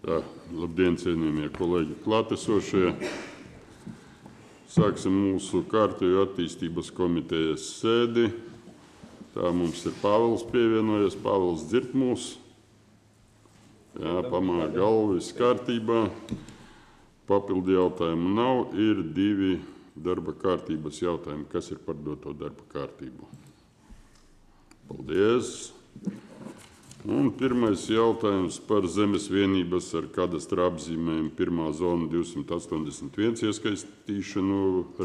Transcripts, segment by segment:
Labdien, cienījamie kolēģi klātesošie. Sāksim mūsu kārtējo attīstības komitejas sēdi. Tā mums ir Pāvils pievienojies. Pāvils dzird mūs. Jā, pamāja galvu, viss kārtībā. Papildu jautājumu nav. Ir 2 darba kārtības jautājumi. Kas ir par doto darba kārtību? Paldies! Un pirmais jautājums par zemes vienības ar kadastra apzīmējumu 1. zona 281 iesaistīšanu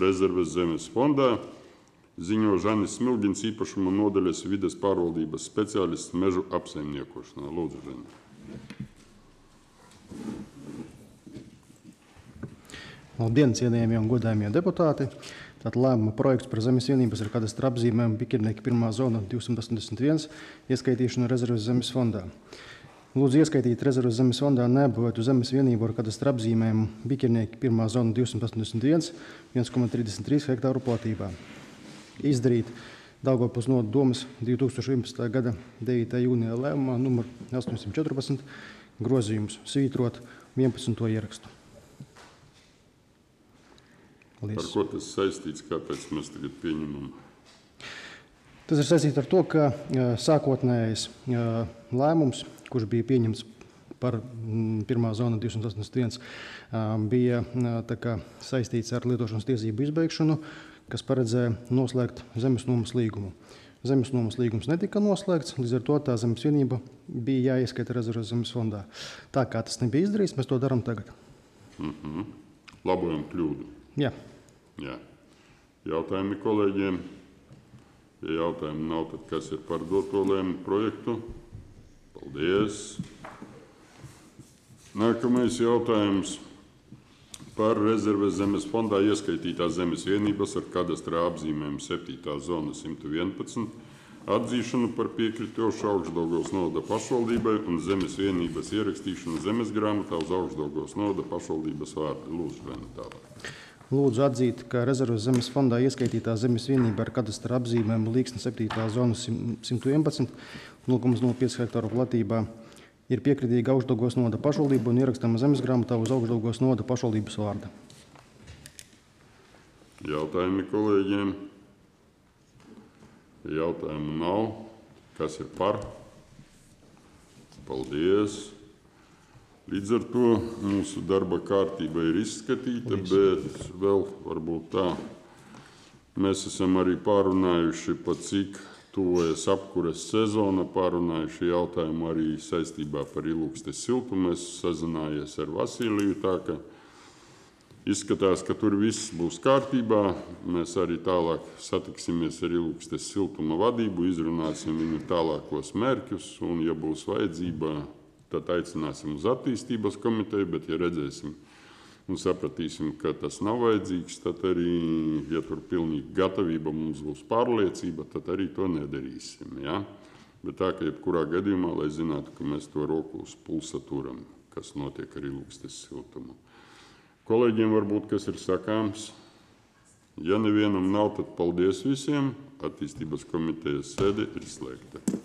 rezerves zemes fondā. Ziņo Žanis Smilģins, īpašuma nodaļas vides pārvaldības speciālists mežu apsaimniekošanā. Lūdzu, Žani. Labdien, cienījamie un godājumie deputāti! Tātad lēmuma projekts par zemes vienības ar kadastra apzīmējumu Bikirnieki 1. zona 281 ieskaitīšanu rezerves zemes fondā. Lūdzu ieskaitīt rezerves zemes fondā neapbūvētu zemes vienību ar kadastra apzīmējumu Bikirnieki 1. zona 281 1,33 hektāru platībā. Izdarīt Daugavpils novada domes 2011. gada 9. jūnija lēmumā numur 814 grozījums svītrot 11. ierakstu. Ar ko tas saistīts? Kāpēc mēs tagad pieņemam? Tas ir saistīts ar to, ka sākotnējais lēmums, kurš bija pieņemts par 1. zona 281, bija saistīts ar lietošanas tiesību izbeigšanu, kas paredzēja noslēgt zemes nomas līgumu. Zemes nomas līgums netika noslēgts, līdz ar to tā zemes vienība bija jāieskaita rezerves zemes fondā. Tā kā tas nebija izdarīts, mēs to darām tagad. Labojam kļūdu. Jā. Jautājumi kolēģiem? Ja jautājumi nav, tad kas ir par doto lēmumu projektu? Paldies! Nākamais jautājums par rezerves zemes fondā ieskaitītās zemes vienības ar kadastra apzīmējumu 7. zona 111 atzīšanu par piekritošu Augšdaugavas novada pašvaldībai un zemes vienības ierakstīšanu zemes grāmatā uz Augšdaugavas novada pašvaldības vārdu. Lūdzu, Žani, tālāk. Lūdzu atzīt, ka rezerves zemes fondā ieskaitītā zemes vienība ar kadastra apzīmējumu Līksne 7. zona 111 0,05 hektāru platībā ir piekritīga Augšdaugavas novada pašvaldība un ierakstāma zemes grāmatā uz Augšdaugavas novada pašvaldības vārda. Jautājumi kolēģiem? Jautājumu nav. Kas ir par? Paldies! Līdz ar to mūsu darba kārtība ir izskatīta, bet vēl varbūt tā. Mēs esam arī pārunājuši, pa cik tuvojas apkures sezona, pārunājuši jautājumu arī saistībā par Ilūgstes siltumu. Es sazinājies ar Vasiliju, tā ka izskatās, ka tur viss būs kārtībā. Mēs arī tālāk satiksimies ar Ilūgstes siltuma vadību, izrunāsim viņu tālākos mērķus un, ja būs vajadzība, tad aicināsim uz attīstības komiteju, bet ja redzēsim un sapratīsim, ka tas nav vajadzīgs, tad arī, ja tur pilnīgi gatavība mums būs pārliecība, tad arī to nedarīsim. Ja? Bet tā, ka jebkurā gadījumā, lai zinātu, ka mēs to roku uz pulsa turam, kas notiek ar Ilūgstes siltumu. Kolēģiem varbūt, kas ir sakāms. Ja nevienam nav, tad paldies visiem. Attīstības komitejas sēde ir slēgta.